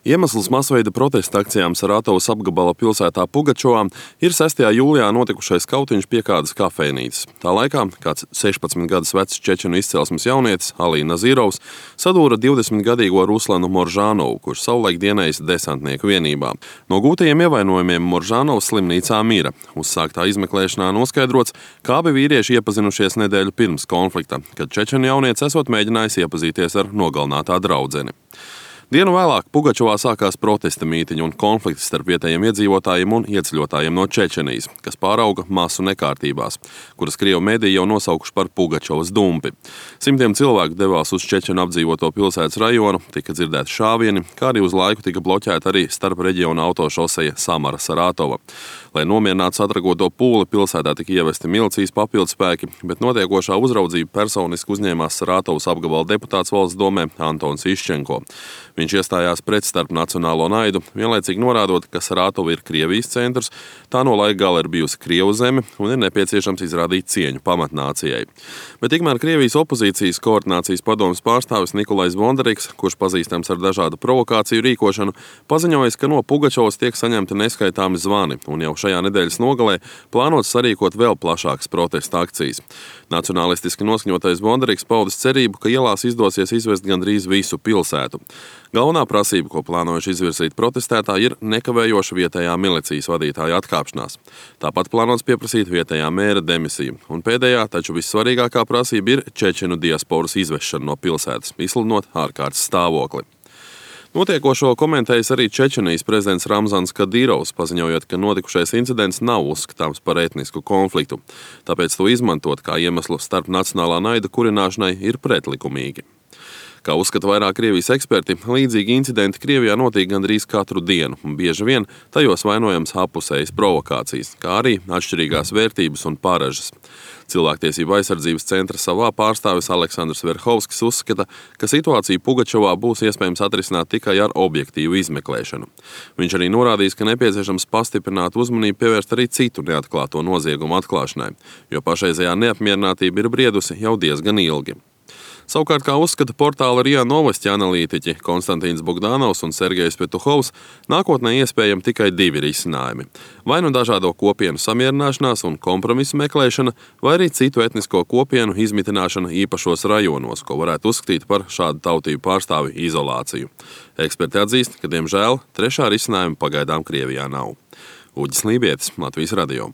Iemesls masveida protesta akcijām Saratovas apgabala pilsētā Pugačovā ir 6. jūlijā notikušais kautiņš pie kādas kafejnīcas. Tā laikā kāds 16 gadus vecs čečenu izcelsmes jaunietis Alī Nazīrovs sadūra 20-gadīgo Ruslanu Moržānovu, kurš savulaik dienējis desantnieku vienībā. No gūtajiem ievainojumiem Moržānovs slimnīcā mira. Uzsāktā izmeklēšanā noskaidrots, kā abi vīrieši iepazinušies nedēļu pirms konflikta, kad čečenu jaunietis esot mēģinājis iepazīties ar nogalinātā draudzeni. Dienu vēlāk Pugačovā sākās protesta mītiņi un konflikti starp vietējiem iedzīvotājiem un ieceļotājiem no Čečenijas, kas pārauga masu nekārtībās, kuras Krievu mediji jau nosaukuši par Pugačovas dumpi. Simtiem cilvēku devās uz Čečenu apdzīvoto pilsētas rajonu, tika dzirdēti šāvieni, kā arī uz laiku tika bloķēta arī starp reģiona autošoseja Samara-Saratova. Lai nomierinātu satrakoto pūli, pilsētā tika ievesti milicijas papildspēki, bet notiekošā uzraudzību personiski uzņēmās Saratovas apgabala deputāts valsts domē Antons Iščenko. Viņš iestājās pret starp nacionālo naidu, vienlaicīgi norādot, ka Saratova ir Krievijas centrs, tā no laika gala ir bijusi Krievu zeme un ir nepieciešams izrādīt cieņu pamatnācijai. Bet tikmēr Krievijas opozīcijas koordinācijas padomes pārstāvis Nikolais Bondarīks, kurš pazīstams ar dažādu provokāciju rīkošanu, paziņojis, ka no Pugačovas tiek saņemti neskaitāmi zvani un jau šajā nedēļas nogalē plānots sarīkot vēl plašākas protesta akcijas. Nacionalistiski noskaņotais Bondarīks paudis cerību, ka ielās izdosies izvest gandrīz visu pilsētu. Galvenā prasība, ko plānojuši izvirzīt protestētāji, ir nekavējoša vietējā milicijas vadītāja atkāpšanās. Tāpat plānots pieprasīt vietējā mēra demisiju. Un pēdējā, taču vissvarīgākā prasība ir čečenu diasporas izvešana no pilsētas, izsludinot ārkārtas stāvokli. Notiekošo komentējis arī Čečenijas prezidents Ramzans Kadīrovs, paziņojot, ka notikušais incidents nav uzskatāms par etnisku konfliktu. Tāpēc to izmantot kā iemeslu starp nacionālā naida kurināšanai ir pretlikumīgi. Kā uzskata vairāk Krievijas eksperti, līdzīgi incidenti Krievijā notiek gandrīz katru dienu, un bieži vien tajos vainojams apusējas provokācijas, kā arī atšķirīgās vērtības un pāražas. Cilvēktiesību aizsardzības centra savā pārstāvis Aleksandrs Verhovskis uzskata, ka situāciju Pugačovā būs iespējams atrisināt tikai ar objektīvu izmeklēšanu. Viņš arī norādījis, ka nepieciešams pastiprināt uzmanību pievērst arī citu neatklāto noziegumu atklāšanai, jo pašreizējā neapmierinātība ir briedusi jau diezgan ilgi. Savukārt, kā uzskata portāla RIA Novosti analītiķi Konstantīns Bogdanovs un Sergejs Petuhovs, nākotnē iespējami tikai divi risinājumi. Vai nu dažādo kopienu samierināšanās un kompromisu meklēšana, vai arī citu etnisko kopienu izmitināšana īpašos rajonos, ko varētu uzskatīt par šādu tautību pārstāvi izolāciju. Eksperti atzīst, ka, diemžēl, trešā risinājuma pagaidām Krievijā nav. Uģis Lībietis, Latvijas radio.